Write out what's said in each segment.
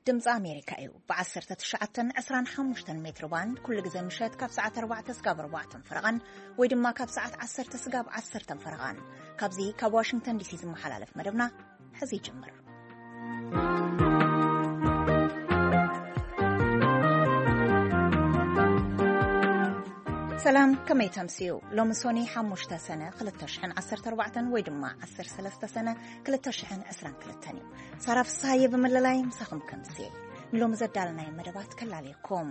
ድምፂ ኣሜሪካ እዩ። ብ19 25 ሜትሮ ባንድ ኩሉ ግዜ ምሸት ካብ ሰዓት 4 ስጋብ 4 ፈረቓን ወይ ድማ ካብ ሰዓት 10 ስጋብ 10 ፈረቓን ካብዚ ካብ ዋሽንግተን ዲሲ ዝመሓላለፍ መደብና ሕዚ ይጅምር። ሰላም፣ ከመይ ተምስዩ? ሎሚ ሶኒ 5 ሰነ 2014 ወይ ድማ 13 ሰነ 2022 እዩ። ሳራ ፍስሃየ ብምልላይ ምሳኹም ከምስየ። ንሎሚ ዘዳለናይ መደባት ከላለየኩም።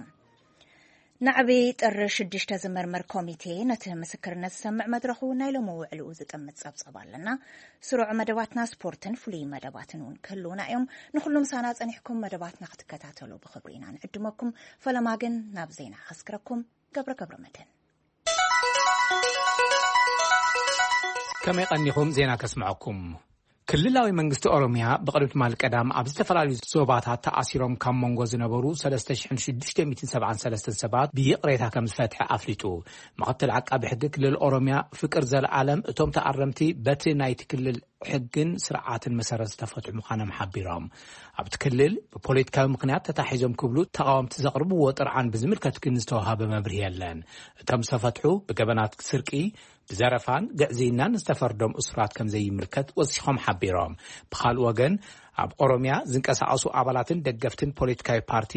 ናዕቢ ጥሪ 6 ዝመርመር ኮሚቴ ነቲ ምስክርነት ዝሰምዕ መድረኹ ናይ ሎሚ ውዕልኡ ዝጥምት ጸብጸብ ኣለና። ስሩዕ መደባትና ስፖርትን ፍሉይ መደባትን እውን ክህልውና እዮም። ንኹሉ ምሳና ጸኒሕኩም መደባትና ክትከታተሉ ብኽብሪ ኢና ንዕድመኩም። ፈለማ ግን ናብ ዜና ከስክረኩም። ገብረ ገብረ መድህን። ከመይ ቀኒኹም? ዜና ከስምዐኩም። ክልላዊ መንግስቲ ኦሮሚያ ብቕድሚ ትማል ቀዳም ኣብ ዝተፈላለዩ ዞባታት ተኣሲሮም ካብ መንጎ ዝነበሩ 3,673 ሰባት ብይቕሬታ ከም ዝፈትሐ ኣፍሊጡ። ምኽትል ዓቃቢ ሕጊ ክልል ኦሮሚያ ፍቅር ዘለዓለም፣ እቶም ተኣረምቲ በቲ ናይቲ ክልል ሕግን ስርዓትን መሰረት ዝተፈትሑ ምዃኖም ሓቢሮም። ኣብቲ ክልል ብፖለቲካዊ ምኽንያት ተታሒዞም ክብሉ ተቓወምቲ ዘቕርብዎ ጥርዓን ብዝምልከት ግን ዝተዋሃበ መብርሂ የለን። እቶም ዝተፈትሑ ብገበናት ስርቂ፣ ብዘረፋን ግዕዝይናን ዝተፈርዶም እሱራት ከም ዘይምልከት ወሲኾም ሓቢሮም። ብኻልእ ወገን፣ ኣብ ኦሮሚያ ዝንቀሳቐሱ ኣባላትን ደገፍትን ፖለቲካዊ ፓርቲ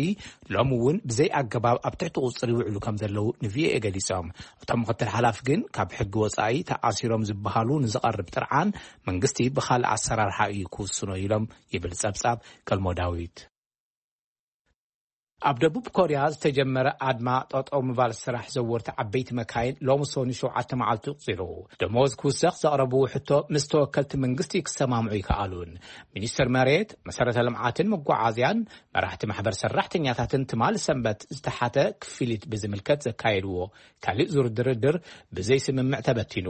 ሎሚ እውን ብዘይ ኣገባብ ኣብ ትሕቲ ቁፅሪ ይውዕሉ ከም ዘለዉ ንቪኦኤ ገሊጾም። እቶም ምኽትል ሓላፊ ግን ካብ ሕጊ ወጻኢ ተኣሲሮም ዝበሃሉ ንዝቐርብ ጥርዓን መንግስቲ ብኻልእ ኣሰራርሓ እዩ ክውስኖ ኢሎም ይብል ጸብጻብ ገልሞ ዳዊት። ኣብ ደቡብ ኮርያ ዝተጀመረ ኣድማ ጠጠው ምባል ስራሕ ዘወርቲ ዓበይቲ መካይን ሎሚ ሶኒ ሸውዓተ መዓልቲ ቁጺሩ። ደሞዝ ክውሰኽ ዘቕረብዎ ሕቶ ምስ ተወከልቲ መንግስቲ ክሰማምዑ ይከኣሉን። ሚኒስትር መሬት፣ መሰረተ ልምዓትን መጓዓዝያን መራሕቲ ማሕበር ሰራሕተኛታትን ትማል ሰንበት ዝተሓተ ክፍሊት ብዝምልከት ዘካየድዎ ካልእ ዙር ድርድር ብዘይ ስምምዕ ተበቲኑ።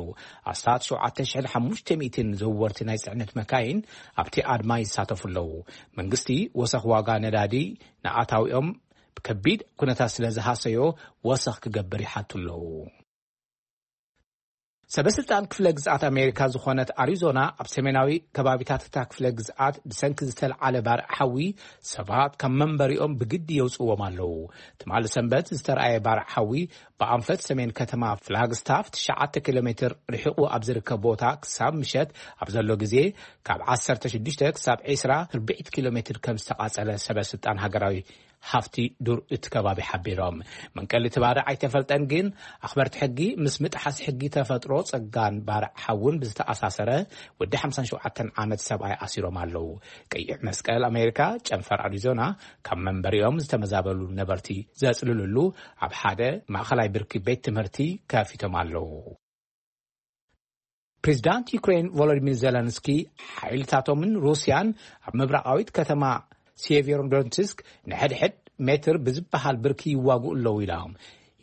ኣስታት 7,500 ዘወርቲ ናይ ጽዕነት መካይን ኣብቲ ኣድማ ይሳተፉ ኣለዉ። መንግስቲ ወሰኽ ዋጋ ነዳዲ ንኣታዊኦም ብከቢድ ኩነታት ስለ ዝሃሰዮ ወሰኽ ክገብር ይሓቱ ኣለዉ። ሰበስልጣን ክፍለ ግዝኣት ኣሜሪካ ዝኾነት ኣሪዞና ኣብ ሰሜናዊ ከባቢታት እታ ክፍለ ግዝኣት ብሰንኪ ዝተልዓለ ባርዕ ሓዊ ሰባት ካብ መንበሪኦም ብግዲ የውፅዎም ኣለዉ። ትማሊ ሰንበት ዝተረኣየ ባርዕ ሓዊ ብኣንፈት ሰሜን ከተማ ፍላግስታፍ 9 ኪሎ ሜትር ርሒቑ ኣብ ዝርከብ ቦታ ክሳብ ምሸት ኣብ ዘሎ ግዜ ካብ 16 ክሳብ 20 ርብዒት ኪሎ ሜትር ከም ዝተቓጸለ ሰበስልጣን ሃገራዊ ሃፍቲ ዱር እቲ ከባቢ ሓቢሮም። መንቀሊ እቲ ባርዕ ኣይተፈልጠን፣ ግን ኣኽበርቲ ሕጊ ምስ ምጥሓስ ሕጊ ተፈጥሮ ጸጋን ባርዕ ሓውን ብዝተኣሳሰረ ወዲ 57 ዓመት ሰብኣይ ኣሲሮም ኣለዉ። ቀይሕ መስቀል ኣሜሪካ ጨንፈር ኣሪዞና ካብ መንበሪኦም ዝተመዛበሉ ነበርቲ ዘጽልልሉ ኣብ ሓደ ማእኸላይ ብርኪ ቤት ትምህርቲ ከፊቶም ኣለዉ። ፕሬዚዳንት ዩክሬን ቮሎዲሚር ዜለንስኪ ሓይልታቶምን ሩስያን ኣብ ምብራቓዊት ከተማ ሴቬሮዶንትስክ ንሕድሕድ ሜትር ብዝበሃል ብርኪ ይዋግኡ ኣለዉ ኢሎም።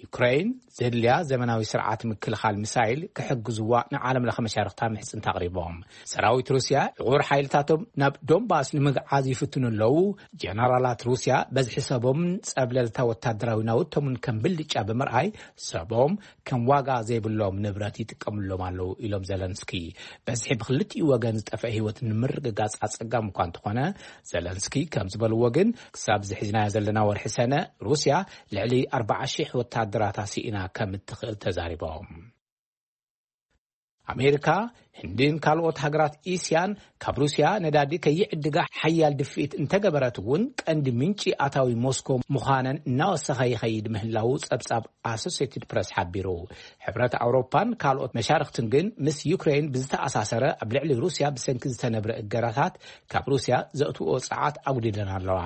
ዩክሬን ዘድልያ ዘመናዊ ስርዓት ምክልኻል ሚሳይል ክሕግዝዋ ንዓለም ለኸ መሻርኽታ ምሕጽንታ ኣቕሪቦም። ሰራዊት ሩስያ ዕቑር ሓይልታቶም ናብ ዶንባስ ንምግዓዝ ይፍትኑ ኣለዉ። ጀነራላት ሩስያ በዝሒ ሰቦምን ጸብለልታ ወታደራዊ ናውቶምን ከም ብልጫ ብምርኣይ ሰቦም ከም ዋጋ ዘይብሎም ንብረት ይጥቀምሎም ኣለዉ ኢሎም ዘለንስኪ። በዝሒ ብክልቲኡ ወገን ዝጠፍአ ህይወት ንምርግጋጽ ኣጸጋሚ እኳ እንተኾነ፣ ዘለንስኪ ከም ዝበልዎ ግን ክሳብ ዝሒዝናዮ ዘለና ወርሒ ሰነ ሩስያ ልዕሊ 40,000 ወታደራታ ስኢና ከም እትኽእል ተዛሪቦም። ኣሜሪካ፣ ህንድን ካልኦት ሃገራት እስያን ካብ ሩስያ ነዳዲ ከይዕድጋ ሓያል ድፍኢት እንተገበረት እውን ቀንዲ ምንጪ ኣታዊ ሞስኮ ምዃነን እናወሰኸ ይኸይድ ምህላዉ ጸብጻብ ኣሶሴትድ ፕረስ ሓቢሩ። ሕብረት ኣውሮፓን ካልኦት መሻርኽትን ግን ምስ ዩክሬን ብዝተኣሳሰረ ኣብ ልዕሊ ሩስያ ብሰንኪ ዝተነብረ እገዳታት ካብ ሩስያ ዘእትዎ ጸዓት ኣጉዲለን ኣለዋ።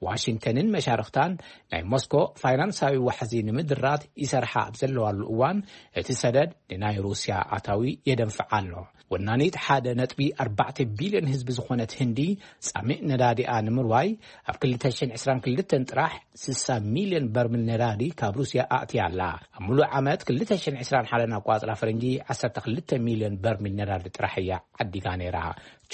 ዋሽንግተንን መሻርኽታን ናይ ሞስኮ ፋይናንሳዊ ዋሕዚ ንምድራት ይሰርሓ ኣብ ዘለዋሉ እዋን፣ እቲ ሰደድ ንናይ ሩስያ ኣታዊ የደንፍዓ ኣሎ። ወናኒት 1.4 ቢልዮን ህዝቢ ዝኾነት ህንዲ ጻሚእ ነዳዲኣ ንምርዋይ ኣብ 2022 ጥራሕ 60 ሚልዮን በርሚል ነዳዲ ካብ ሩስያ ኣእትያ ኣላ። ኣብ ሙሉእ ዓመት 2021 ኣቋጽራ ፈረንጂ 12 ሚልዮን በርሚል ነዳዲ ጥራሕ እያ ዓዲጋ ነይራ።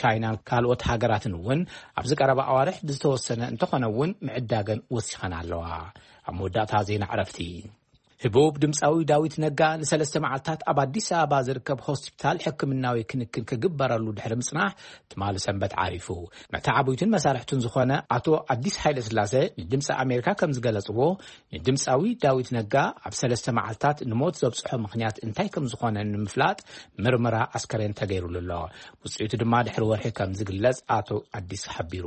ቻይናን ካልኦት ሃገራትን እውን ኣብዚ ቀረባ ኣዋርሕ ብዝተወሰነ እንተኾነ እውን ምዕዳገን ወሲኸን ኣለዋ። ኣብ መወዳእታ ዜና ዕረፍቲ። ህቡብ ድምፃዊ ዳዊት ነጋ ንሰለስተ መዓልታት ኣብ ኣዲስ ኣበባ ዝርከብ ሆስፒታል ሕክምናዊ ክንክን ክግበረሉ ድሕሪ ምጽናሕ፣ ትማሊ ሰንበት ዓሪፉ። መተዓብይቱን መሳርሕቱን ዝኾነ ኣቶ ኣዲስ ሃይለ ስላሴ ንድምፂ ኣሜሪካ ከም ዝገለፅዎ፣ ንድምፃዊ ዳዊት ነጋ ኣብ ሰለስተ መዓልታት ንሞት ዘብፅሖ ምኽንያት እንታይ ከም ዝኾነ ንምፍላጥ ምርመራ ኣስከሬን ተገይሩሉ ኣሎ። ውፅኢቱ ድማ ድሕሪ ወርሒ ከም ዝግለጽ ኣቶ ኣዲስ ሓቢሩ።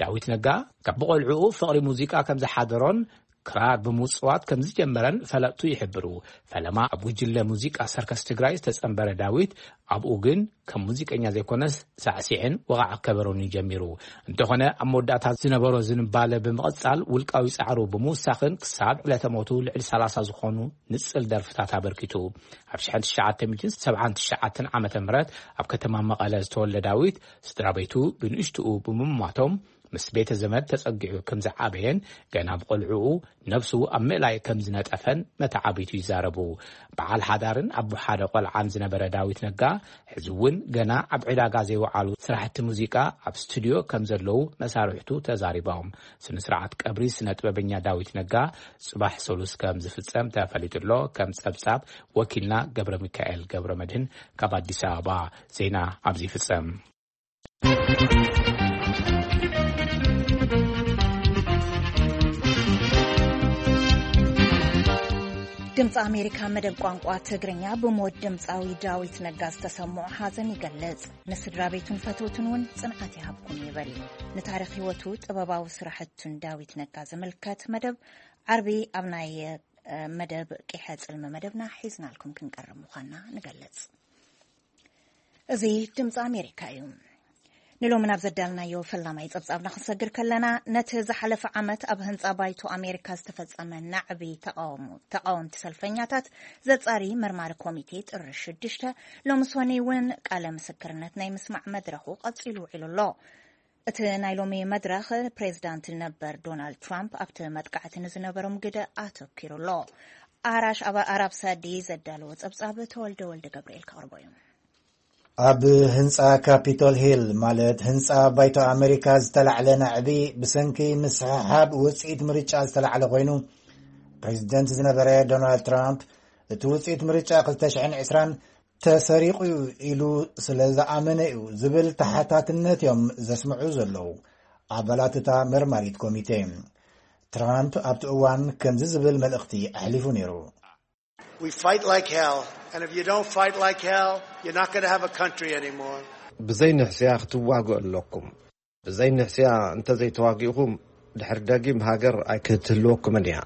ዳዊት ነጋ ካብ ብቆልዕኡ ፍቕሪ ሙዚቃ ከም ዝሓደሮን ክራር ብምጽዋት ከም ዝጀመረን ፈለጥቱ ይሕብሩ። ፈለማ ኣብ ጉጅለ ሙዚቃ ሰርከስ ትግራይ ዝተጸንበረ ዳዊት፣ ኣብኡ ግን ከም ሙዚቀኛ ዘይኮነስ ሳዕሲዕን ወቓዕ ከበሮን እዩ ጀሚሩ። እንተኾነ፣ ኣብ መወዳእታ ዝነበሮ ዝንባለ ብምቕጻል፣ ውልቃዊ ጻዕሩ ብምውሳኽን ክሳብ ዕለተ ሞቱ ልዕሊ ሰላሳ ዝኾኑ ንጽል ደርፍታት ኣበርኪቱ። ኣብ ሽሕን ትሽዓተ ሚእትን ሰብዓን ትሽዓተን ዓመተ ምህረት ኣብ ከተማ መቐለ ዝተወልደ ዳዊት፣ ስድራ ቤቱ ብንእሽትኡ ብምሟቶም፣ ምስ ቤተ ዘመድ ተጸጊዑ ከም ዝዓበየን ገና ብቆልዕኡ ነብሱ ኣብ ምእላይ ከም ዝነጠፈን መተዓብይቱ ይዛረቡ። በዓል ሓዳርን ኣቦ ሓደ ቆልዓን ዝነበረ ዳዊት ነጋ፣ ሕዚ እውን ገና ኣብ ዕዳጋ ዘይወዓሉ ስራሕቲ ሙዚቃ ኣብ ስቱድዮ ከም ዘለዉ መሳርሕቱ ተዛሪቦም። ስነ ስርዓት ቀብሪ ስነ ጥበበኛ ዳዊት ነጋ ጽባሕ ሰሉስ ከም ዝፍጸም ተፈሊጡ ኣሎ። ከም ጸብጻብ ወኪልና ገብረ ሚካኤል ገብረ መድህን ካብ ኣዲስ ኣበባ። ዜና ኣብዚ ይፍጸም። ድምፂ ኣሜሪካ መደብ ቋንቋ ትግርኛ ብሞት ድምፃዊ ዳዊት ነጋ ዝተሰምዖ ሓዘን ይገልጽ። ንስድራ ቤቱን ፈተውቱን እውን ጽንዓት ይሃብኩም ይብል። ንታሪኽ ህይወቱ፣ ጥበባዊ ስራሕቱን ዳዊት ነጋ ዝምልከት መደብ ዓርቢ ኣብ ናይ፣ እ፣ መደብ ቂሐ ጽልሚ መደብና ሒዝናልኩም ክንቀርብ ምዃንና ንገልጽ። እዚ ድምፂ ኣሜሪካ እዩ። ንሎሚ ናብ ዘዳልናዮ ፈላማይ ጸብጻብና ክንሰግር ከለና፣ ነቲ ዝሓለፈ ዓመት ኣብ ህንጻ ባይቶ ኣሜሪካ ዝተፈጸመ ናዕቢ ተቃውሞ-፣ ተቃወምቲ ሰልፈኛታት ዘጻሪ መርማሪ ኮሚቴ ጥሪ ሽዱሽተ ሎሚ ሰኑይ እውን ቃለ ምስክርነት ናይ ምስማዕ መድረኹ ቀጺሉ ውዒሉ ኣሎ። እቲ ናይ ሎሚ መድረኽ ፕሬዝዳንት ነበር ዶናልድ ትራምፕ ኣብቲ መጥቃዕቲ ንዝነበሮም ግደ ኣተኪሩ ኣሎ። ኣራሽ ኣባ-፣ ኣራብ ሳዲ ዘዳለዎ ጸብጻብ ተወልደ ወልደ ገብርኤል ከቕርቦ እዩ። ኣብ ህንጻ ካፒቶል ሂል፣ ማለት ህንጻ ባይቶ ኣመሪካ፣ ዝተላዕለ ናዕቢ ብሰንኪ ምስሕሓብ ውጽኢት ምርጫ ዝተላዕለ ኮይኑ፣ ፕሬዝደንት ዝነበረ ዶናልድ ትራምፕ፣ እቲ ውጽኢት ምርጫ ክልተ ሽሕን ዕስራን ተሰሪቑ እዩ ኢሉ ስለ ዝኣመነ እዩ ዝብል ተሓታትነት እዮም ዘስምዑ ዘለዉ። ኣባላት እታ መርማሪት ኮሚቴ፣ ትራምፕ ኣብቲ እዋን ከምዚ ዝብል መልእኽቲ ኣሕሊፉ ነይሩ። We fight like hell, and if you don't fight like hell, you're not gonna have a country anymore. ብዘይ ንሕስያ ክትዋግኡ ኣለኩም። ብዘይ ንሕስያ እንተዘይተዋጊእኹም፣ ድሕሪ ደጊም ሃገር ኣይክትህልወኩምን እያ።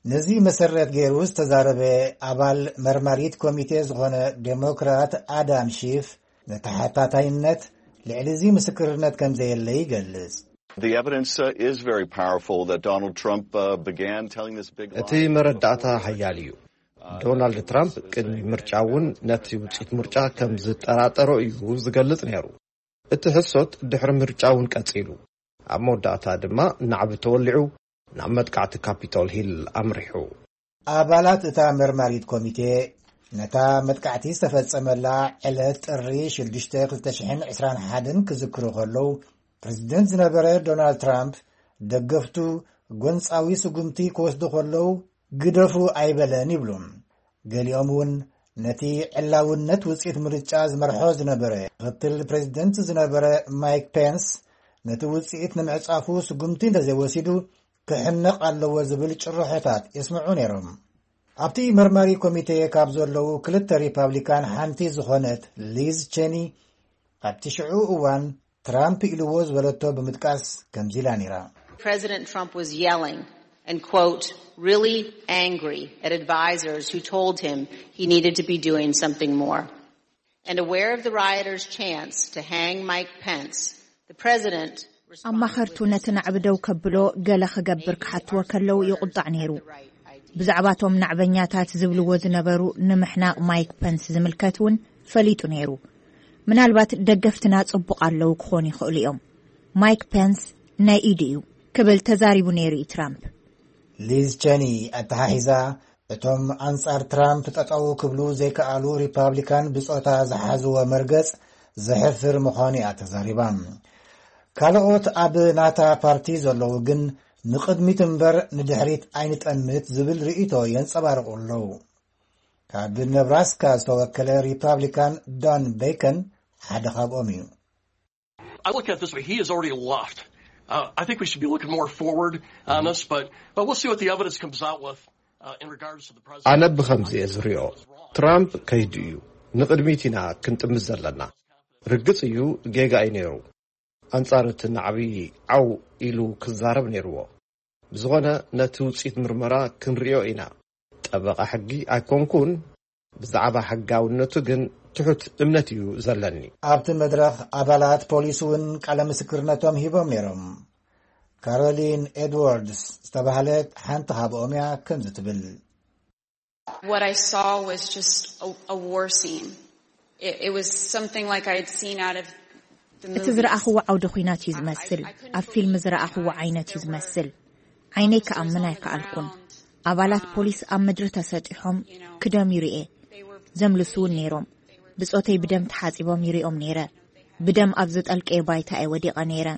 ነዚ መሰረት ገይሩ ዝተዛረበ ኣባል መርማሪት ኮሚቴ ዝኾነ ዴሞክራት ኣዳም ሺፍ፣ ንተሓታታይነት ልዕሊ እዚ ምስክርነት ከም ዘየለ ይገልጽ። The evidence, uh, is very powerful that Donald Trump, uh, began telling this big እቲ lie. መረዳእታ ሓያል እዩ። ዶናልድ ትራምፕ ቅድሚ ምርጫ እውን ነቲ ውፅኢት ምርጫ ከም ዝጠራጠሮ እዩ ዝገልጽ ነይሩ። እቲ ሕሶት ድሕሪ ምርጫ እውን ቀጺሉ። ኣብ መወዳእታ ድማ ናዕቢ ተወሊዑ ናብ መጥቃዕቲ ካፒቶል ሂል ኣምሪሑ። ኣባላት እታ መርማሪት ኮሚቴ ነታ መጥቃዕቲ ዝተፈጸመላ ዕለት ጥሪ ሽዱሽተ ክልተ ሽሕን ዕስራን ሓደን ክዝክሩ ከለዉ፣ ፕሬዝደንት ዝነበረ ዶናልድ ትራምፕ ደገፍቱ ጎንጻዊ ስጉምቲ ክወስዱ ከለዉ፣ ግደፉ ኣይበለን ይብሉ። ገሊኦም እውን ነቲ ዕላውነት ውጽኢት ምርጫ ዝመርሖ ዝነበረ ምኽትል ፕሬዝደንት ዝነበረ ማይክ ፔንስ፣ ነቲ ውጽኢት ንምዕጻፉ ስጉምቲ እንተዘይወሲዱ ክሕነቕ ኣለዎ ዝብል ጭርሖታት የስምዑ ነይሮም። ኣብቲ መርማሪ ኮሚቴ ካብ ዘለዉ ክልተ ሪፓብሊካን ሓንቲ ዝኾነት ሊዝ ቼኒ፣ ኣብቲ ሽዑ እዋን ትራምፕ ኢልዎ ዝበለቶ ብምጥቃስ ከምዚ ኢላ ነይራ። President Trump was yelling and, quote, really angry at advisors who told him he needed to be doing something more. And aware of the rioters' chance to hang Mike Pence, the president responded ኣማኸርቱ with ነቲ ናዕቢ ደው ከብሎ ገለ ክገብር ክሓትዎ ከለዉ ይቑጣዕ ነይሩ። ብዛዕባቶም ናዕበኛታት ዝብልዎ ዝነበሩ ንምሕናቕ ማይክ ፐንስ ዝምልከት እውን ፈሊጡ ነይሩ። ምናልባት ደገፍትና ጽቡቕ ኣለዉ ክኾኑ ይኽእሉ እዮም። ማይክ ፐንስ ናይ ኢዱ እዩ ክብል ተዛሪቡ ነይሩ እዩ ትራምፕ። ሊዝ ቸኒ ኣተሓሒዛ፣ እቶም ኣንጻር ትራምፕ ጠጠው ክብሉ ዘይከኣሉ ሪፓብሊካን ብጾታ ዝሓዝዎ መርገጽ ዘሕፍር ምዃኑ እያ ተዛሪባ። ካልኦት ኣብ ናታ ፓርቲ ዘለዉ ግን ንቕድሚት እምበር ንድሕሪት ኣይንጠምት ዝብል ርእይቶ የንጸባርቑ ኣለዉ። ካብ ነብራስካ ዝተወከለ ሪፓብሊካን ዶን ቤከን ሓደ ካብኦም እዩ። I look at it this way. He has already left. Uh, I think we should be looking more forward on this, but, but we'll see what the evidence comes out with uh, in regards to the president. ኣነ ብኸምዚ እየ ዝሪኦ። ትራምፕ ከይዱ እዩ። ንቕድሚት ኢና ክንጥምት ዘለና። ርግጽ እዩ፣ ጌጋ እዩ ነይሩ። ኣንጻር እቲ ናዕቢ ዓው ኢሉ ክዛረብ ነይርዎ። ብዝኾነ ነቲ ውጽኢት ምርመራ ክንሪኦ ኢና። ጠበቓ ሕጊ ኣይኮንኩን፣ ብዛዕባ ሕጋውነቱ ግን ትሑት እምነት እዩ ዘለኒ። ኣብቲ መድረኽ ኣባላት ፖሊስ እውን ቃለ ምስክርነቶም ሂቦም ነይሮም። ካሮሊን ኤድዋርድስ ዝተባህለት ሓንቲ ካብኦም እያ ከምዚ ትብል። What I saw was just a, a war scene. It, it was something like I had seen out of the እቲ ዝረኣኽዎ ዓውደ ኲናት እዩ ዝመስል። ኣብ ፊልም ዝረኣኽዎ ዓይነት እዩ ዝመስል። ዓይነይ ክኣምን ኣይከኣልኩን። ኣባላት ፖሊስ ኣብ ምድሪ ተሰጢሖም ክደም ይርኤ። ዘምልሱ እውን ነይሮም። ብጾተይ ብደም ተሓጺቦም ይርኦም ነይረ። ብደም ኣብ ዝጠልቀየ ባይታ እየ ወዲቐ ነይረ።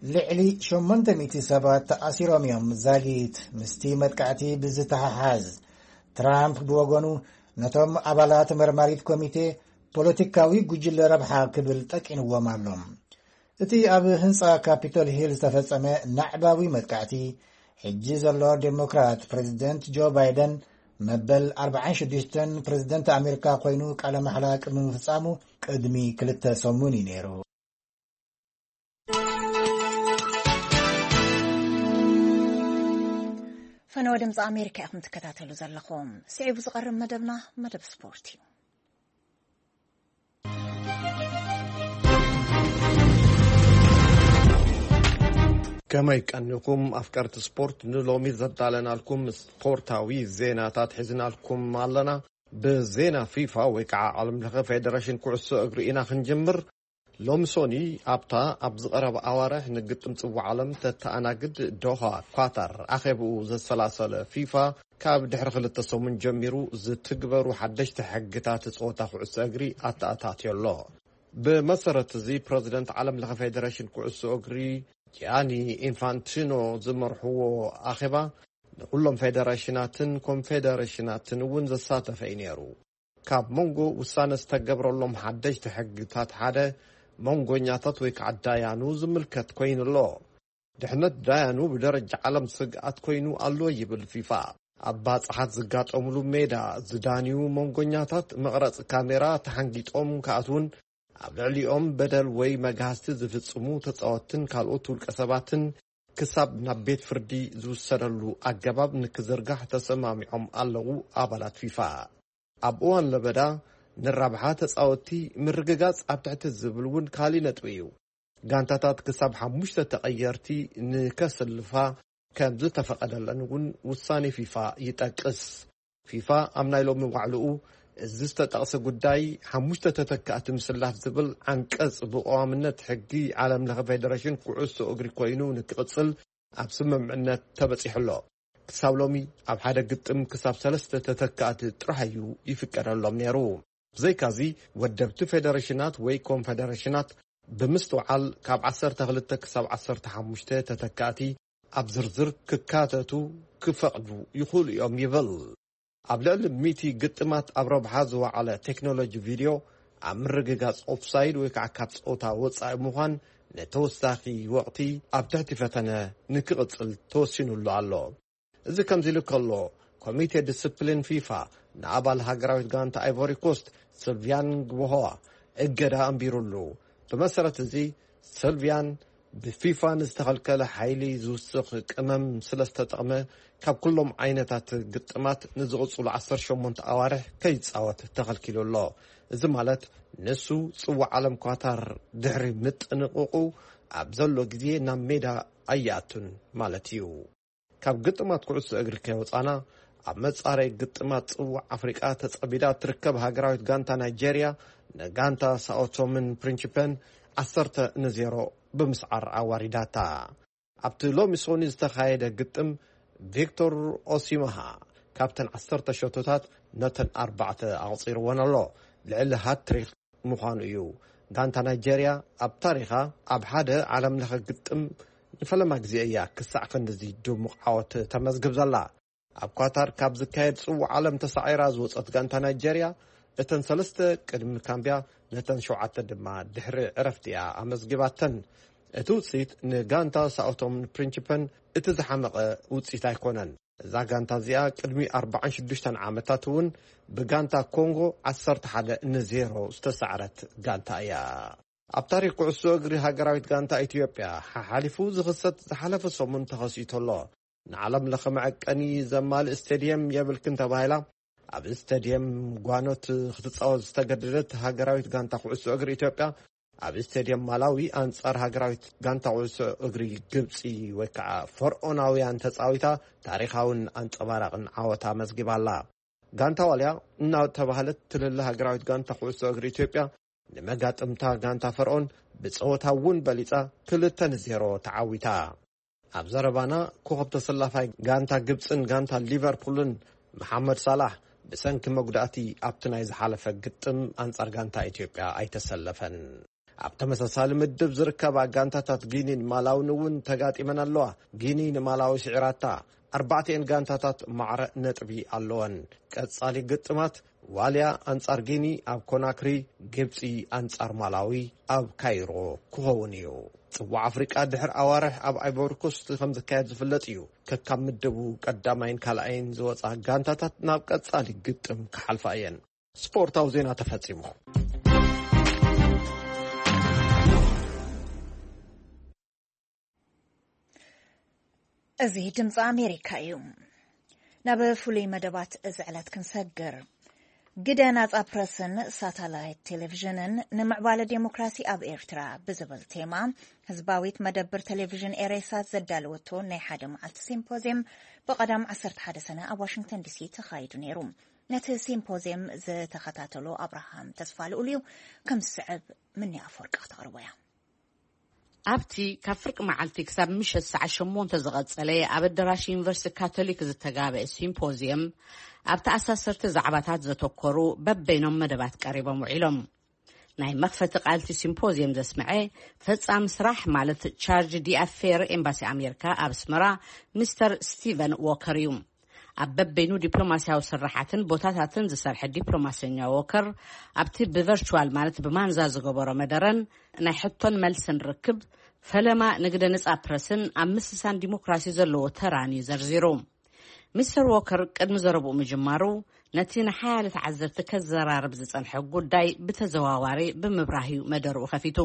ልዕሊ ሸሞንተ ሚእቲ ሰባት ተኣሲሮም እዮም ዛጊት ምስቲ መጥቃዕቲ ብዝተሓሓዝ። ትራምፕ ብወገኑ ነቶም ኣባላት መርማሪት ኮሚቴ ፖለቲካዊ ጉጅለ ረብሓ ክብል ጠቂንዎም ኣሎ። እቲ ኣብ ህንጻ ካፒቶል ሂል ዝተፈጸመ ናዕባዊ መጥቃዕቲ፣ ሕጂ ዘሎ ዴሞክራት ፕሬዚደንት ጆ ባይደን መበል ኣርባዓን ሽዱሽተን ፕሬዚደንት ኣሜሪካ ኮይኑ ቃለ ማሕላ ቅድሚ ምፍጻሙ ቅድሚ ክልተ ሰሙን እዩ ነይሩ። ፈነወ ድምፂ ኣሜሪካ ኢኹም ትከታተሉ ዘለኹም። ስዒቡ ዝቐርብ መደብና መደብ ስፖርት እዩ። ከመይ ቀኒኹም ኣፍቀርቲ ስፖርት? ንሎሚ ዘዳለናልኩም ስፖርታዊ ዜናታት ሒዝናልኩም ኣለና። ብዜና ፊፋ ወይ ከዓ ዓለም ለኸ ፌደሬሽን ኩዕሶ እግሪ ኢና ክንጅምር። ሎሚ ሶኒ ኣብታ ኣብ ዝቐረበ ኣዋርሕ ንግጥም ጽዋዕ ዓለም ተተኣናግድ ዶሃ ኳታር ኣኼብኡ ዘሰላሰለ ፊፋ፣ ካብ ድሕሪ ክልተ ሰሙን ጀሚሩ ዝትግበሩ ሓደሽቲ ሕግታት ጸወታ ኩዕሶ እግሪ ኣተኣታትዮ ኣሎ። ብመሰረት እዚ ፕረዚደንት ዓለም ለኸ ፌደሬሽን ኩዕሶ እግሪ ጂያኒ ኢንፋንቲኖ ዝመርሕዎ ኣኼባ ንኹሎም ፌደሬሽናትን ኮንፌደሬሽናትን እውን ዘሳተፈ እዩ ነይሩ። ካብ መንጎ ውሳነ ዝተገብረሎም ሓደሽቲ ሕግታት ሓደ መንጎኛታት ወይ ከዓ ዳያኑ ዝምልከት ኮይኑ ኣሎ። ድሕነት ዳያኑ ብደረጃ ዓለም ስግኣት ኮይኑ ኣሎ ይብል ፊፋ። ኣብ ባጽሓት ዝጋጠሙሉ ሜዳ ዝዳንዩ መንጎኛታት መቕረጺ ካሜራ ተሓንጊጦም ክኣትውን ኣብ ልዕሊኦም በደል ወይ መግሃስቲ ዝፍጽሙ ተጻወትትን ካልኦት ውልቀ ሰባትን ክሳብ ናብ ቤት ፍርዲ ዝውሰደሉ ኣገባብ ንክዝርጋሕ ተሰማሚዖም ኣለዉ ኣባላት ፊፋ። ኣብ እዋን ለበዳ ንራብሓ ተጻወትቲ ምርግጋጽ ኣብ ትሕቲ ዝብል እውን ካሊ ነጥቢ እዩ። ጋንታታት ክሳብ ሓሙሽተ ተቐየርቲ ንከስልፋ ከም ዝተፈቐደለን እውን ውሳኔ ፊፋ ይጠቅስ። ፊፋ ኣብ ናይ ሎሚ ዋዕልኡ እዚ ዝተጠቕሰ ጉዳይ ሓሙሽተ ተተካእቲ ምስላፍ ዝብል ዓንቀጽ ብቐዋምነት ሕጊ ዓለም ለኸ ፌደሬሽን ኩዕሶ እግሪ ኮይኑ ንክቕጽል ኣብ ስምምዕነት ተበጺሑ ኣሎ። ክሳብ ሎሚ ኣብ ሓደ ግጥም ክሳብ ሰለስተ ተተካእቲ ጥራሕ እዩ ይፍቀደሎም ነይሩ። ብዘይካዚ ወደብቲ ፌደሬሽናት ወይ ኮንፌደሬሽናት ብምስትውዓል ካብ ዓሰርተ ክልተ ክሳብ ዓሰርተ ሓሙሽተ ተተካእቲ ኣብ ዝርዝር ክካተቱ ክፈቕዱ ይኽእሉ እዮም ይብል። ኣብ ልዕሊ ሚእቲ ግጥማት ኣብ ረብሓ ዝወዓለ ቴክኖሎጂ ቪድዮ ኣብ ምርግጋጽ ኦፍሳይድ ወይ ከዓ ካብ ጸወታ ወጻኢ ምዃን ንተወሳኺ ወቕቲ ኣብ ትሕቲ ፈተነ ንክቕጽል ተወሲኑሉ ኣሎ። እዚ ከምዚ ኢሉ ከሎ፣ ኮሚቴ ዲስፕሊን ፊፋ ንኣባል ሃገራዊት ጋንታ ኣይቮሪ ኮስት ስልቪያን ግቦሆዋ እገዳ ኣንቢሩሉ። ብመሰረት እዚ፣ ስልቪያን ብፊፋ ንዝተኸልከለ ሓይሊ ዝውስኽ ቅመም ስለ ዝተጠቕመ፣ ካብ ኩሎም ዓይነታት ግጥማት ንዝቕጽሉ ዓሰርተ ሸሞንተ ኣዋርሕ ከይጻወት ተኸልኪሉ ኣሎ። እዚ ማለት ንሱ ጽዋዕ ዓለም ኳታር ድሕሪ ምጥንቕቑ ኣብ ዘሎ ግዜ ናብ ሜዳ ኣይኣቱን ማለት እዩ። ካብ ግጥማት ኩዕሶ እግሪ ከይወጻና፣ ኣብ መጻረይ ግጥማት ጽዋዕ ኣፍሪቃ ተጸቢዳ ትርከብ ሃገራዊት ጋንታ ናይጄርያ ንጋንታ ሳኦቶምን ፕሪንሲፐን ዓሰርተ ንዜሮ ብምስዓር ኣዋሪዳታ። ኣብቲ ሎሚ ሶኒ ዝተኻየደ ግጥም፣ ቪክቶር ኦሲማሃ ካብተን ዓሰርተ ሸቶታት ነተን ኣርባዕተ ኣቕጺርወን ኣሎ። ልዕሊ ሃትሪክ ምዃኑ እዩ። ጋንታ ናይጄርያ ኣብ ታሪኻ ኣብ ሓደ ዓለም ለኸ ግጥም ንፈለማ ግዜ እያ ክሳዕ ክንድዚ ድሙቕ ዓወት ተመዝግብ ዘላ። ኣብ ኳታር ካብ ዝካየድ ጽዋዕ ዓለም ተሳዒራ ዝወጸት ጋንታ ናይጀርያ፣ እተን ሰለስተ ቅድሚ ካምብያ፣ ነተን ሸውዓተ ድማ ድሕሪ ዕረፍቲ እያ ኣመዝጊባተን። እቲ ውጽኢት ንጋንታ ሳኦቶምን ፕሪንቺፐን እቲ ዝሓመቐ ውጽኢት ኣይኮነን። እዛ ጋንታ እዚኣ ቅድሚ ኣርባዓን ሽዱሽተን ዓመታት እውን ብጋንታ ኮንጎ ዓሰርተ ሓደ ንዜሮ ዝተሳዕረት ጋንታ እያ። ኣብ ታሪኽ ኩዕሶ እግሪ ሃገራዊት ጋንታ ኢትዮጵያ ሓሓሊፉ ዝኽሰት ዝሓለፈ ሰሙን ተኸሲቱ ኣሎ። ንዓለም ለኸ መዐቀኒ ዘማልእ ስቴድየም የብልክን ተባሂላ ኣብ ስቴድየም ጓኖት ክትጻወት ዝተገደደት ሃገራዊት ጋንታ ኩዕሶ እግሪ ኢትዮጵያ፣ ኣብ ስቴድየም ማላዊ ኣንጻር ሃገራዊት ጋንታ ኩዕሶ እግሪ ግብጺ ወይ ከዓ ፈርዖናውያን ተጻዊታ ታሪኻውን ኣንጸባራቕን ዓወት ኣመዝጊባ ኣላ። ጋንታ ዋልያ እናተባህለት ትልለ ሃገራዊት ጋንታ ኩዕሶ እግሪ ኢትዮጵያ፣ ንመጋጥምታ ጋንታ ፈርዖን ብጸወታ እውን በሊጻ ክልተ ንዜሮ ተዓዊታ። ኣብ ዘረባና ኮኸብ ተሰላፋይ ጋንታ ግብጽን ጋንታ ሊቨርፑልን መሓመድ ሳላሕ ብሰንኪ መጉዳእቲ ኣብቲ ናይ ዝሓለፈ ግጥም ኣንጻር ጋንታ ኢትዮጵያ ኣይተሰለፈን። ኣብ ተመሳሳሊ ምድብ ዝርከባ ጋንታታት ጊኒን ማላውን እውን ተጋጢመን ኣለዋ። ጊኒ ንማላዊ ስዒራታ። ኣርባዕቲኤን ጋንታታት ማዕረ ነጥቢ ኣለወን። ቀጻሊ ግጥማት ዋልያ ኣንጻር ጊኒ ኣብ ኮናክሪ፣ ግብጺ ኣንጻር ማላዊ ኣብ ካይሮ ክኸውን እዩ። ጽዋዕ ኣፍሪቃ ድሕሪ ኣዋርሕ ኣብ ኣይቮሪ ኮስት ከም ዝካየድ ዝፍለጥ እዩ። ከካብ ምድቡ ቀዳማይን ካልኣይን ዝወጻ ጋንታታት ናብ ቀጻሊ ግጥም ክሓልፋ እየን። ስፖርታዊ ዜና ተፈጺሙ። እዚ ድምፂ ኣሜሪካ እዩ። ናብ ፍሉይ መደባት እዚ ዕለት ክንሰግር። ግደ ናጻ ፕረስን ሳተላይት ቴሌቪዥንን ንምዕባለ ዴሞክራሲ ኣብ ኤርትራ ብዝብል ቴማ፣ ህዝባዊት መደብር ቴሌቪዥን ኤሬሳት ዘዳለወቶ ናይ ሓደ መዓልቲ ሲምፖዝየም ብቐዳም ዓሰርተ ሓደ ሰነ ኣብ ዋሽንግተን ዲሲ ተኻይዱ ነይሩ። ነቲ ሲምፖዝየም ዝተኸታተሎ ኣብርሃም ተስፋልኡል እዩ፣ ከም ዝስዕብ ምኒ ኣፈወርቂ ክተቕርቦ እያ። ኣብቲ ካብ ፍርቂ መዓልቲ ክሳብ ምሸት ሰዓት ሸሞንተ ዝቐጸለ ኣብ ኣዳራሽ ዩኒቨርሲቲ ካቶሊክ ዝተጋበአ ሲምፖዝየም፣ ኣብ ተኣሳሰርቲ ዛዕባታት ዘተኮሩ በበይኖም መደባት ቀሪቦም ውዒሎም። ናይ መኽፈቲ ቃልቲ ሲምፖዝየም ዘስምዐ ፈጻሚ ስራሕ ማለት ቻርጅ ዲኣፌር ኤምባሲ ኣሜሪካ ኣብ ኣስመራ ሚስተር ስቲቨን ዎከር እዩ። ኣብ በበይኑ ዲፕሎማስያዊ ስራሓትን ቦታታትን ዝሰርሐ ዲፕሎማሰኛ ዎከር፣ ኣብቲ ብቨርቹዋል ማለት ብማንዛ ዝገበሮ መደረን ናይ ሕቶን መልስን ርክብ፣ ፈለማ ንግደ ነጻ ፕረስን ኣብ ምስሳን ዲሞክራሲ ዘለዎ ተራን እዩ ዘርዚሩ። ሚስተር ዎከር ቅድሚ ዘረብኡ ምጅማሩ፣ ነቲ ንሓያለ ተዓዘብቲ ከዘራርብ ዝጸንሐ ጉዳይ ብተዘዋዋሪ ብምብራህ እዩ መደርኡ ከፊቱ።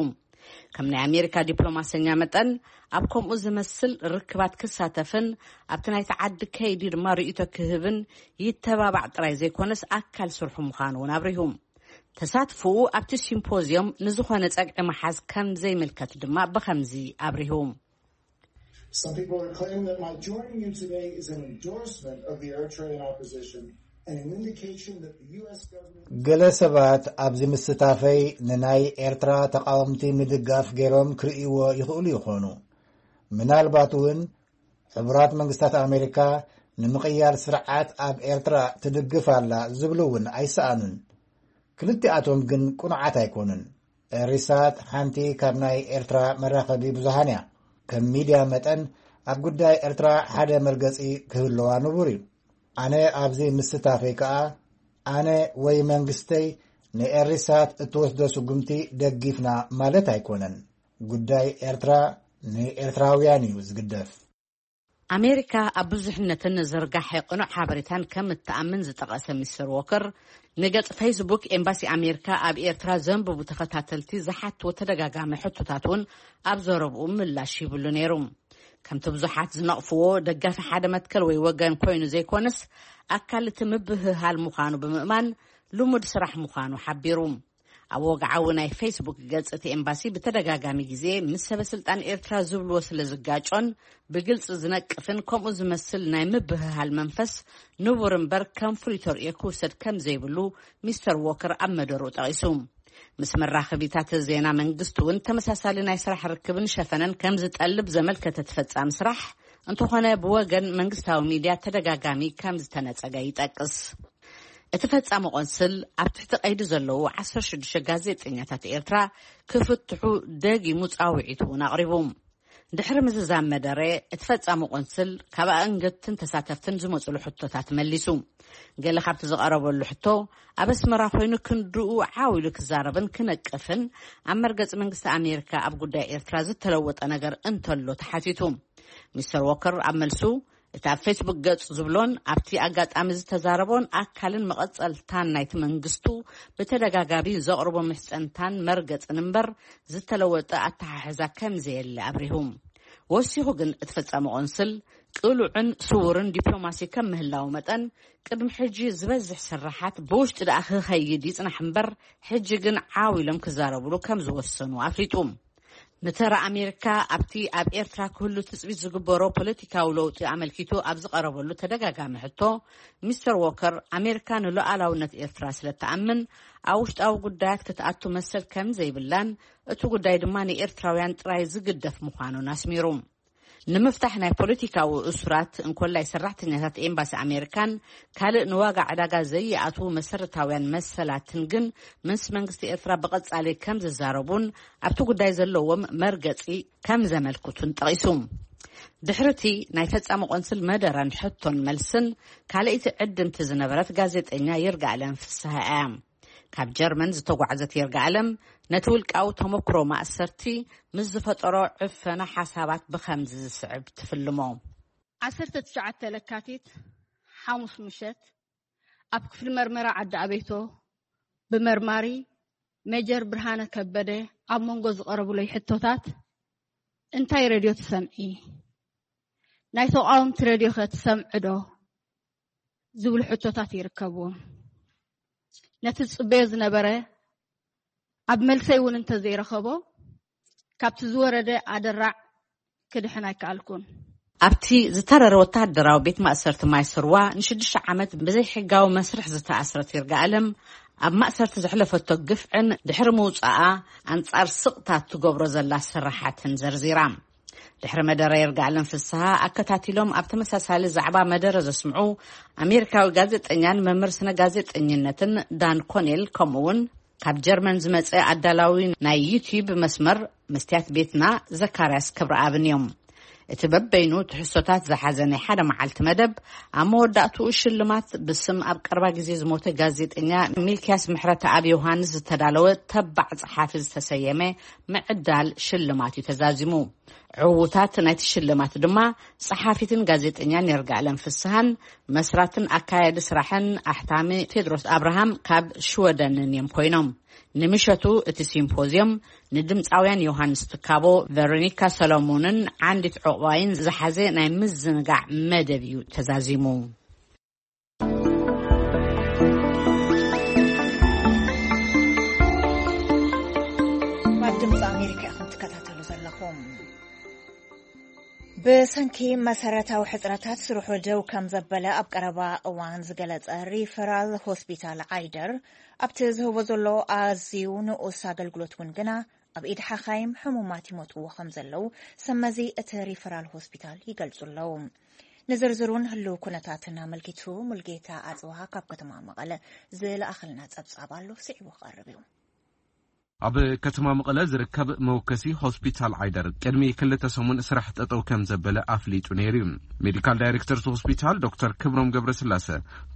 ከም ናይ ኣሜሪካ ዲፕሎማሰኛ መጠን፣ ኣብ ከምኡ ዝመስል ርክባት ክሳተፍን ኣብቲ ናይቲ ዓዲ ከይዲ ድማ ርእይቶ ክህብን ይተባባዕ ጥራይ ዘይኮነስ፣ ኣካል ስርሑ ምዃኑ እውን ኣብሪሁ። ተሳትፎኡ ኣብቲ ሲምፖዝዮም ንዝኾነ ጸግዒ ምሓዝ ከም ዘይምልከት ድማ ብኸምዚ ኣብሪሁ። Some people are claiming that my joining you today is an endorsement of the Eritrean opposition and an indication that the U S government ገለ ሰባት ኣብዚ ምስታፈይ ንናይ ኤርትራ ተቃወምቲ ምድጋፍ ገይሮም ክርእይዎ ይኽእሉ ይኾኑ። ምናልባት እውን ሕቡራት መንግስታት ኣሜሪካ ንምቕያር ስርዓት ኣብ ኤርትራ ትድግፍ ኣላ ዝብሉ እውን ኣይሰኣኑን። ክልቲኣቶም ግን ቅኑዓት ኣይኮኑን። ኤሪሳት ሓንቲ ካብ ናይ ኤርትራ መራኸቢ ብዙሃን እያ። ከም ሚድያ መጠን ኣብ ጉዳይ ኤርትራ ሓደ መርገጺ ክህልዋ ንቡር እዩ። ኣነ ኣብዚ ምስታፈይ ከኣ ኣነ ወይ መንግስተይ ንኤሪሳት እትወስዶ ስጉምቲ ደጊፍና ማለት ኣይኮነን። ጉዳይ ኤርትራ ንኤርትራውያን እዩ ዝግደፍ። ኣሜሪካ ኣብ ብዙሕነትን ዝርጋሐ ቅኑዕ ሓበሬታን ከም እትኣምን ዝጠቐሰ ሚስተር ዎከር፣ ንገጽ ፌስቡክ ኤምባሲ ኣሜሪካ ኣብ ኤርትራ ዘንብቡ ተኸታተልቲ ዝሓትዎ ተደጋጋሚ ሕቶታት እውን ኣብ ዘረብኡ ምላሽ ሂብሉ ነይሩ። ከምቲ ብዙሓት ዝነቕፍዎ፣ ደጋፊ ሓደ መትከል ወይ ወገን ኮይኑ ዘይኮነስ፣ ኣካል እቲ ምብህሃል ምዃኑ ብምእማን፣ ልሙድ ስራሕ ምዃኑ ሓቢሩ። ኣብ ወግዓዊ ናይ ፌስቡክ ገጽ እቲ ኤምባሲ ብተደጋጋሚ ግዜ ምስ ሰበ ስልጣን ኤርትራ ዝብልዎ ስለ ዝጋጮን ብግልጺ ዝነቅፍን ከምኡ ዝመስል ናይ ምብህሃል መንፈስ ንቡር እምበር ከም ፍሉይ ተርእዮ ክውሰድ ከም ዘይብሉ ሚስተር ዎከር ኣብ መደርኡ ጠቒሱ። ምስ መራኸቢታት ዜና መንግስቲ እውን ተመሳሳሊ ናይ ስራሕ ርክብን ሸፈነን ከም ዝጠልብ ዘመልከተ እቲ ፈጻሚ ስራሕ፣ እንተኾነ ብወገን መንግስታዊ ሚድያ ተደጋጋሚ ከም ዝተነጸገ ይጠቅስ። እቲ ፈጻሚ ቆንስል ኣብ ትሕቲ ቀይዲ ዘለዉ ዓሰርተ ሽዱሽተ ጋዜጠኛታት ኤርትራ ክፍትሑ ደጊሙ ጻውዒት እውን ኣቕሪቡ። ድሕሪ ምዝዛም መደረ፣ እቲ ፈጻሚ ቆንስል ካብ ኣእንገድትን ተሳተፍትን ዝመጹሉ ሕቶታት መሊሱ። ገለ ካብቲ ዝቐረበሉ ሕቶ፣ ኣብ ኣስመራ ኮይኑ ክንድኡ ዓው ኢሉ ክዛረብን ክነቅፍን፣ ኣብ መርገጺ መንግስቲ ኣሜሪካ ኣብ ጉዳይ ኤርትራ ዝተለወጠ ነገር እንተሎ ተሓቲቱ። ሚስተር ዎከር ኣብ መልሱ፣ እቲ ኣብ ፌስቡክ ገጽ ዝብሎን ኣብቲ ኣጋጣሚ ዝተዛረቦን ኣካልን መቐጸልታን ናይቲ መንግስቱ ብተደጋጋሚ ዘቕርቦ ምሕጸንታን መርገጽን እምበር፣ ዝተለወጠ ኣተሓሕዛ ከም ዘየለ ኣብሪሁ። ወሲኹ ግን እቲ ፈጻሚ ቆንስል ቅሉዕን ስዉርን ዲፕሎማሲ ከም ምህላው መጠን፣ ቅድሚ ሕጂ ዝበዝሕ ስራሓት ብውሽጢ ደኣ ክኸይድ ይጽናሕ እምበር፣ ሕጂ ግን ዓው ኢሎም ክዛረብሉ ከም ዝወሰኑ ኣፍሊጡ። ንተራ ኣሜሪካ ኣብቲ ኣብ ኤርትራ ክህሉ ትጽቢት ዝግበሮ ፖለቲካዊ ለውጢ ኣመልኪቱ ኣብ ዝቐረበሉ ተደጋጋሚ ሕቶ፣ ሚስተር ዎከር ኣሜሪካ ንሉዓላውነት ኤርትራ ስለ ትኣምን ኣብ ውሽጣዊ ጉዳያት ክትኣቱ መሰል ከም ዘይብላን፣ እቲ ጉዳይ ድማ ንኤርትራውያን ጥራይ ዝግደፍ ምዃኑን ኣስሚሩ። ንምፍታሕ ናይ ፖለቲካዊ እሱራት እንኮላይ ሰራሕተኛታት ኤምባሲ ኣሜሪካን ካልእ ንዋጋ ዕዳጋ ዘይኣትዉ መሰረታውያን መሰላትን ግን ምስ መንግስቲ ኤርትራ ብቐጻሊ ከም ዝዛረቡን ኣብቲ ጉዳይ ዘለዎም መርገጺ ከም ዘመልክቱን ጠቒሱ። ድሕርቲ ናይ ፈጻሚ ቆንስል መደረን ሕቶን መልስን ካልኣይቲ ዕድምቲ ዝነበረት ጋዜጠኛ ይርጋኣለም ፍስሃ እያ። ካብ ጀርመን ዝተጓዕዘት ይርጋኣለም ነቲ ውልቃዊ ተመክሮ ማእሰርቲ ምስ ዝፈጠሮ ዕፈና ሓሳባት ብኸምዚ ዝስዕብ ትፍልሞ። ዓሰርተ ትሽዓተ ለካቲት ሓሙስ ምሸት ኣብ ክፍሊ መርመራ ዓዲ ኣቤቶ ብመርማሪ ሜጀር ብርሃነ ከበደ ኣብ መንጎ ዝቐረቡለይ ሕቶታት፣ "እንታይ ሬድዮ ትሰምዒ? ናይ ተቓወምቲ ሬድዮ ከ ትሰምዒ ዶ?" ዝብሉ ሕቶታት ይርከብዎም። ነቲ ዝጽበዮ ዝነበረ ኣብ መልሰይ እውን እንተዘይረኸቦ፣ ካብቲ ዝወረደ ኣደራዕ ክድሕን ኣይከኣልኩን። ኣብቲ ዝተረረ ወተሃደራዊ ቤት ማእሰርቲ ማይ ስርዋ ንሽዱሽተ ዓመት ብዘይሕጋዊ መስርሕ ዝተኣስረት ይርጋኣለም፣ ኣብ ማእሰርቲ ዘሕለፈቶ ግፍዕን ድሕሪ ምውጻኣ ኣንጻር ስቕታት ትገብሮ ዘላ ስራሓትን ዘርዚራ። ድሕሪ መደረ ይርጋኣለም ፍስሃ ኣከታቲሎም ኣብ ተመሳሳሊ ዛዕባ መደረ ዘስምዑ ኣሜሪካዊ ጋዜጠኛን መምህር ስነ ጋዜጠኝነትን ዳን ኮኔል፣ ከምኡ እውን ካብ ጀርመን ዝመጸ ኣዳላዊ ናይ ዩቲዩብ መስመር መስትያት ቤትና ዘካርያስ ክብረኣብን እዮም። እቲ በበይኑ ትሕዝቶታት ዝሓዘ ናይ ሓደ መዓልቲ መደብ፣ ኣብ መወዳእትኡ ሽልማት ብስም ኣብ ቀረባ ግዜ ዝሞተ ጋዜጠኛ ሚልክያስ ምሕረተኣብ ዮሃንስ ዝተዳለወ ተባዕ ጸሓፊ ዝተሰየመ ምዕዳል ሽልማት እዩ ተዛዚሙ። ዕዉታት ናይቲ ሽልማት ድማ ጸሓፊትን ጋዜጠኛን ይርጋኣለም ፍስሃን መስራትን ኣካያዲ ስራሕን ኣሕታሚ ቴድሮስ ኣብርሃም ካብ ሽወደንን እዮም ኮይኖም። ንምሸቱ እቲ ሲምፖዝዮም ንድምፃውያን ዮሃንስ ትካቦ፣ ቨሮኒካ ሰሎሞንን ዓንዲት ዕቑባይን ዝሓዘ ናይ ምዝንጋዕ መደብ እዩ ተዛዚሙ። ኣብ ድምፂ ኣሜሪካ ኢኹም ትከታተሉ ዘለኹም። ብሰንኪ መሰረታዊ ሕጽረታት ስርሑ ደው ከም ዘበለ ኣብ ቀረባ እዋን ዝገለጸ ሪፈራል ሆስፒታል ዓይደር፣ ኣብቲ ዝህቦ ዘሎ ኣዝዩ ንኡስ ኣገልግሎት እውን ግና ኣብ ኢድ ሓኻይም ሕሙማት ይሞትዎ ከም ዘለዉ ሰመዚ እቲ ሪፈራል ሆስፒታል ይገልጹ ኣለዉ። ንዝርዝሩን ህልው ኩነታትን ኣመልኪቱ ሙልጌታ ኣጽብሃ ካብ ከተማ መቐለ ዝለኣኸልና ጸብጻብ ኣሎ፣ ስዒቡ ክቐርብ እዩ። ኣብ ከተማ መቐለ ዝርከብ መወከሲ ሆስፒታል ዓይደር ቅድሚ ክልተ ሰሙን ስራሕ ጠጠው ከም ዘበለ ኣፍሊጡ ነይሩ እዩ። ሜዲካል ዳይሬክተር እቲ ሆስፒታል ዶክተር ክብሮም ገብረስላሰ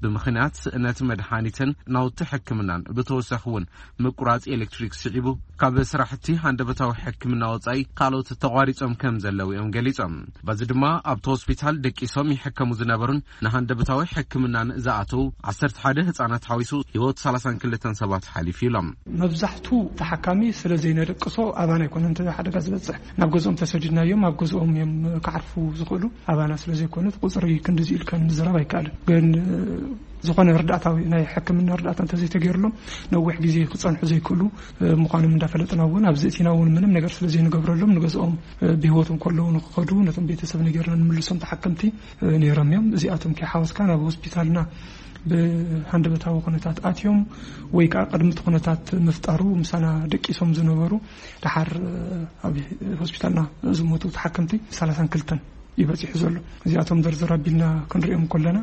ብምኽንያት ስእነት መድሃኒትን ናውቲ ሕክምናን ብተወሳኺ እውን ምቁራጽ ኤሌክትሪክ ስዒቡ ካብ ስራሕቲ ሃንደበታዊ ሕክምና ወጻኢ ካልኦት ተቋሪጾም ከም ዘለዉ እዮም ገሊጾም። በዚ ድማ ኣብቲ ሆስፒታል ደቂሶም ይሕከሙ ዝነበሩን ንሃንደበታዊ ሕክምናን ዝኣተዉ ዓሰርተ ሓደ ህጻናት ሓዊሱ ህይወት ሰላሳን ክልተን ሰባት ሓሊፉ ኢሎም። መብዛሕቱ ተሓካሚ ስለ ዘይነደቅሶ ኣባና ኣይኮነን እቲ ሓደጋ ዝበጽሕ። ናብ ገዝኦም ተሰዲድናዮም ኣብ ገዝኦም እዮም ክዓርፉ ዝኽእሉ። ኣባና ስለ ዘይኮነ እቲ ቁጽሪ ክንድዚ ኢልካ ንምዝራብ ኣይከኣልን። ግን ዝኾነ ርዳእታዊ ናይ ሕክምና ርዳእታ እንተዘይተገይሩሎም ነዊሕ ግዜ ክጸንሑ ዘይክእሉ ምዃኖም እንዳፈለጥና እውን ኣብዚ እቲና እውን ምንም ነገር ስለ ዘይንገብረሎም ንገዝኦም ብህይወት እንከለዉ ንክኸዱ ነቶም ቤተሰብ ነጌርና ንምልሶም ተሓከምቲ ነይሮም እዮም። እዚኣቶም ከይሓወስካ ናብ ሆስፒታልና ብሃንደበታዊ ኩነታት ኣትዮም ወይ ከዓ ቅድሚ እቲ ኩነታት ምፍጣሩ ምሳና ደቂሶም ዝነበሩ ደሓር ኣብ ሆስፒታልና ዝሞቱ ተሓከምቲ ሰላሳን ክልተን እዩ በፂሑ ዘሎ። እዚኣቶም ዝርዝር ኣቢልና ክንሪኦም ከለና፣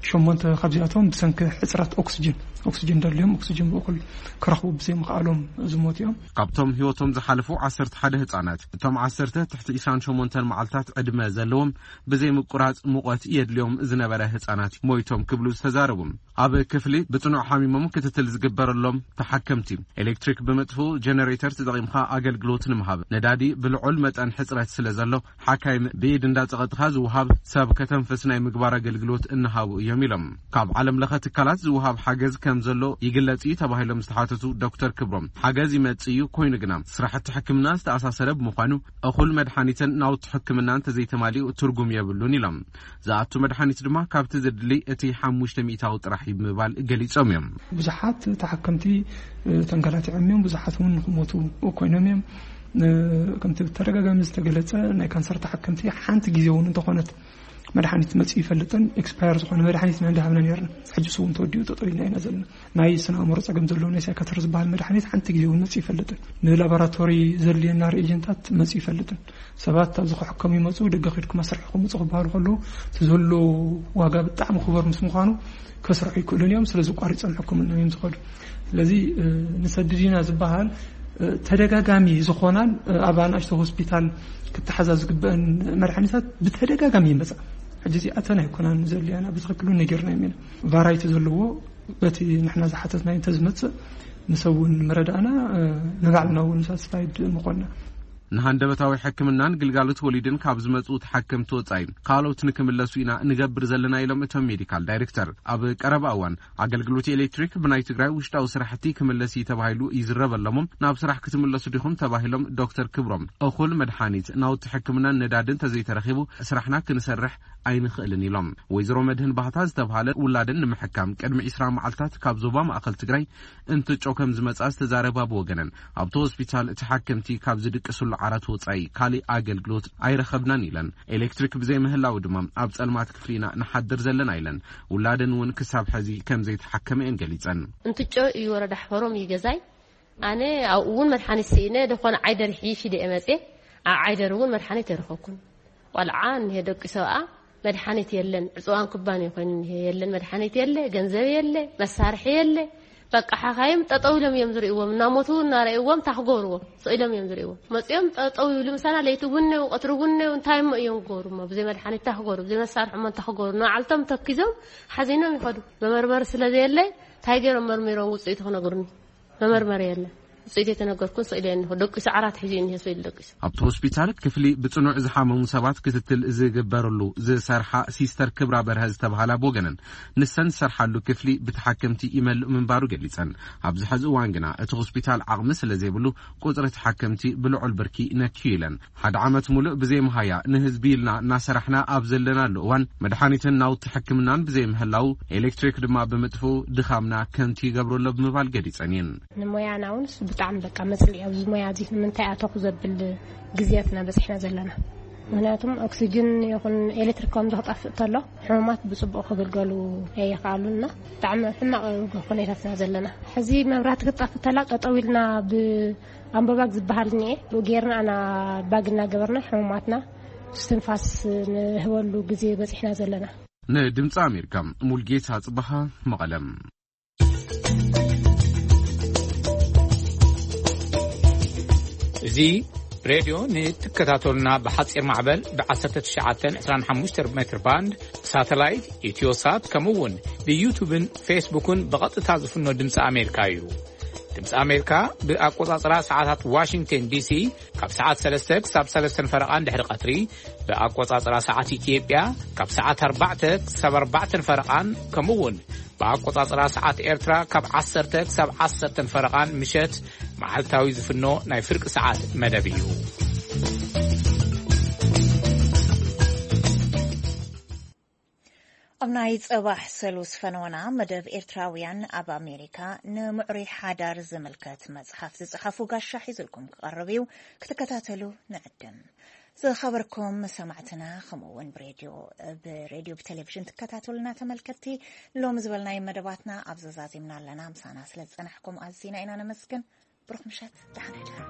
ሸሞንተ ካብዚኣቶም ብሰንኪ ሕፅረት ኦክስጅን፣ ኦክስጅን ደልዮም ኦክስጅን ብእኩል ክረኽቡ ብዘይምኽኣሎም ዝሞት እዮም። ካብቶም ህይወቶም ዝሓለፉ ዓሰርተ ሓደ ህጻናት፣ እቶም ዓሰርተ ትሕቲ ዕስራን ሸሞንተን መዓልታት ዕድመ ዘለዎም፣ ብዘይ ምቁራጽ ሙቐት የድልዮም ዝነበረ ህጻናት ሞይቶም ክብሉ ዝተዛረቡ። ኣብ ክፍሊ ብጽኑዕ ሓሚሞም ክትትል ዝግበረሎም ተሓከምቲ፣ ኤሌክትሪክ ብምጥፍኡ ጀነሬተር ተጠቒምካ ኣገልግሎት ንምሃብ፣ ነዳዲ ብልዑል መጠን ሕጽረት ስለ ዘሎ፣ ሓካይም ብኢድ እንዳጸቐጥኻ ዝወሃብ ሰብ ከተንፍስ ናይ ምግባር ኣገልግሎት እናሃቡ እዮም ኢሎም። ካብ ዓለም ለኸ ትካላት ዝወሃብ ሓገዝ ከም ዘሎ ይግለጽ እዩ ተባሂሎም ዝተሓተቱ ዶክተር ክብሮም፣ ሓገዝ ይመጽእ እዩ፣ ኮይኑ ግና ስራሕቲ ሕክምና ዝተኣሳሰረ ብምዃኑ፣ እኹል መድሓኒትን ናውቲ ሕክምና እንተዘይተማሊኡ ትርጉም የብሉን ኢሎም። ዝኣቱ መድሓኒት ድማ ካብቲ ዘድሊ እቲ ሓሙሽተ ሚእታዊ ጥራሕ እዩ ብምባል ገሊጾም እዮም። ብዙሓት ተሓከምቲ ተንከላቲዖም እዮም፣ ብዙሓት እውን ንክሞቱ ኮይኖም እዮም። ከምቲ ብተደጋጋሚ ዝተገለጸ፣ ናይ ካንሰር ተሓከምቲ ሓንቲ ግዜ እውን እንተኾነት መድሓኒት መፅኡ ይፈልጥን፣ ኤክስፓየር ዝኾነ መድሓኒት ኢና እንዳሃብና ነርና። ሕጂ እሱ እውን ተወዲኡ ጠጠው ኢልና ኢና ዘለና። ናይ ስነ ኣእምሮ ጸገም ዘለዎ ናይ ሳይካትር ዝበሃል መድሓኒት ሓንቲ ግዜ እውን መፅኡ ይፈልጥን። ንላቦራቶሪ ዘድልየና ሪኤጀንታት መፅኡ ይፈልጥን። ሰባት ኣብዚ ክሕከሙ ይመፁ፣ ደገ ኺድኩም ኣስርሕኹም ምፁ ክበሃሉ ከለዉ፣ እቲ ዘሎ ዋጋ ብጣዕሚ ክቡር ምስ ምዃኑ ከስርሑ ይክእሉን እዮም። ስለዚ ቋሪፆም ሕክምና እዮም ዝኸዱ። ስለዚ ንሰድድ ኢና ዝበሃል ተደጋጋሚ ዝኾናን ኣብ ኣናእሽቶ ሆስፒታል ክተሓዛ ዝግበአን መድሓኒታት ብተደጋጋሚ ይመፃ። ሕጂ እዚኣተን ኣይኮናን ዘድልያና፣ ብትኽክል እውን ነጊርናዮም ኢና። ቫራይቲ ዘለዎ በቲ ንሕና ዝሓተትናዮ እንተዝመፅእ፣ ንሰብ እውን ምረዳእና፣ ንባዕልና እውን ሳትስፋይድ ምኾንና። ንሃንደበታዊ ሕክምናን ግልጋሎት ወሊድን ካብ ዝመፁ ተሓከምቲ ወፃኢ፣ ካልኦት ንክምለሱ ኢና ንገብር ዘለና ኢሎም እቶም ሜዲካል ዳይሬክተር። ኣብ ቀረባ እዋን ኣገልግሎት ኤሌክትሪክ ብናይ ትግራይ ውሽጣዊ ስራሕቲ ክምለስ እዩ ተባሂሉ ይዝረበሎም። ናብ ስራሕ ክትምለሱ ዲኹም ተባሂሎም ዶክተር ክብሮም፣ እኹል መድሓኒት፣ ናውቲ ሕክምናን ነዳድን ተዘይተረኺቡ ስራሕና ክንሰርሕ ኣይንኽእልን ኢሎም። ወይዘሮ መድህን ባህታ ዝተባሃለ ውላደን ንምሕካም ቅድሚ ዕስራ መዓልታት ካብ ዞባ ማእኸል ትግራይ እንትጮ ከም ዝመጻ ዝተዛረባ ብወገነን፣ ኣብቲ ሆስፒታል ተሓከምቲ ካብ ዝድቅስሉ ዓራት ወጻኢ ካሊእ ኣገልግሎት ኣይረኸብናን ኢለን። ኤሌክትሪክ ብዘይምህላው ድማ ኣብ ጸልማት ክፍሊ ኢና ንሓድር ዘለና ኢለን። ውላደን እውን ክሳብ ሕዚ ከም ዘይተሓከመ እየን ገሊጸን። እንትጮ እዩ ወረዳ ሕፈሮም እዩ ገዛይ። ኣነ ኣብኡ እውን መድሓኒት ስኢነ፣ ደኾነ ዓይደር ሒሽ ኢለ እየ መፅየ። ኣብ ዓይደር እውን መድሓኒት ኣይረኸብኩን። ቆልዓ እኒሄ፣ ደቂ ሰብኣ፣ መድሓኒት የለን። ዕፅዋን ክባን እዩ ኮይኑ እኒሄ፣ የለን መድሓኒት፣ የለ ገንዘብ፣ የለ መሳርሒ፣ የለ። በቃ ሓኻይም ጠጠው ኢሎም እዮም ዝርእይዎም፣ እናሞቱ እናረእይዎም እንታይ ክገብርዎም? ስቕ ኢሎም እዮም ዝርእይዎም። መፅኦም ጠጠው ይብሉ ምሳና፣ ለይቲ እውን ነው፣ ቀትሪ እውን ነው፣ እንታይ እሞ እዮም ክገብሩ እሞ? ብዘይ መድሓኒት እንታይ ክገብሩ? ብዘይ መሳርሒ እሞ እንታይ ክገብሩ? ንባዕልቶም ተኪዞም ሓዚኖም ይኸዱ። መመርመሪ ስለ ዘየለ እንታይ ገይሮም መርሚሮም ውፅኢቱ ክነግሩኒ? መመርመሪ የለ። ውፅኢት የተነገርኩን ስቕ ኢለ እኒሆ፣ ደቂሱ ዓራት ሒዙ እኒሄ፣ ስቕ ኢሉ ደቂሱ። ኣብቲ ሆስፒታል ክፍሊ ብጽኑዕ ዝሓመሙ ሰባት ክትትል ዝግበረሉ ዝሰርሓ ሲስተር ክብራ በርሀ ዝተባሃላ ብወገነን፣ ንሰን ዝሰርሓሉ ክፍሊ ብተሓከምቲ ይመልእ ምንባሩ ገሊጸን። ኣብዚ ሕዚ እዋን ግና እቲ ሆስፒታል ዓቕሚ ስለ ዘይብሉ ቁጽሪ ተሓከምቲ ብልዑል ብርኪ ነክዩ ኢለን። ሓደ ዓመት ሙሉእ ብዘይ መሃያ ንህዝቢ ኢልና እናሰራሕና ኣብ ዘለናሉ እዋን፣ መድሓኒትን ናውቲ ሕክምናን ብዘይ ምህላው፣ ኤሌክትሪክ ድማ ብምጥፍኡ ድኻምና ከምቲ ይገብሮ ኣሎ ብምባል ገሊጸን እየን። ንሞያና እውን እሱ ብጣዕሚ በቃ መጽልኢ ኣብዚ ሞያ እዚ ንምንታይ ኣተኹ ዘብል ግዜያትና በጺሕና ዘለና። ምክንያቱም ኦክሲጅን ይኹን ኤሌክትሪክ ከምዚ ክጠፍእ ተሎ ሕሙማት ብጽቡቕ ክግልገሉ ኣይኸኣሉና። ብጣዕሚ ሕማቕ ኩነታትና ዘለና። ሕዚ መብራህቲ ክትጠፍእ ተላ ጠጠው ኢልና ብኣምቦባግ ዝበሃል እኒኤ ብኡ ጌርና ኣና ባግ እናገበርና ሕሙማትና እስትንፋስ ንህበሉ ግዜ በጺሕና ዘለና። ንድምፂ ኣሜሪካ ሙልጌታ ጽበሃ መቐለም። እዚ ሬድዮ ንትከታተሉና ብሓጺር ማዕበል ብ19 25 ሜትር ባንድ፣ ሳተላይት፣ ኢትዮሳት፣ ከምኡ እውን ብዩቱብን ፌስቡክን ብቐጥታ ዝፍኖ ድምፂ ኣሜሪካ እዩ። ድምፂ ኣሜሪካ ብኣቆጻጽራ ሰዓታት ዋሽንግተን ዲሲ ካብ ሰዓት ሰለስተ ክሳብ ሰለስተን ፈረቓን ድሕሪ ቀትሪ፣ ብኣቆጻጽራ ሰዓት ኢትዮጵያ ካብ ሰዓት ኣርባዕተ ክሳብ ኣርባዕተን ፈረቓን፣ ከምኡ እውን ብኣቆጻጽራ ሰዓት ኤርትራ ካብ ዓሰርተ ክሳብ ዓሰርተን ፈረቓን ምሸት መዓልታዊ ዝፍኖ ናይ ፍርቂ ሰዓት መደብ እዩ። ኣብ ናይ ጽባሕ ሰሉስ ፈነወና መደብ ኤርትራውያን ኣብ ኣሜሪካ ንምዕሩይ ሓዳር ዝምልከት መጽሓፍ ዝጸሓፉ ጋሻ ሒዙልኩም ክቐርብ እዩ። ክትከታተሉ ንዕድም። ዝኸበርኩም ሰማዕትና፣ ከምኡ እውን ብሬድዮ፣ ብሬድዮ ብቴሌቪዥን ትከታተሉና ተመልከትቲ፣ ሎሚ ዝበልናዮ መደባትና ኣብ ዘዛዚምና ኣለና። ምሳና ስለ ዝጸናሕኩም ኣዚና ኢና ነመስግን። ብሩኽ ምሸት፣ ደሓን ሕደሩ።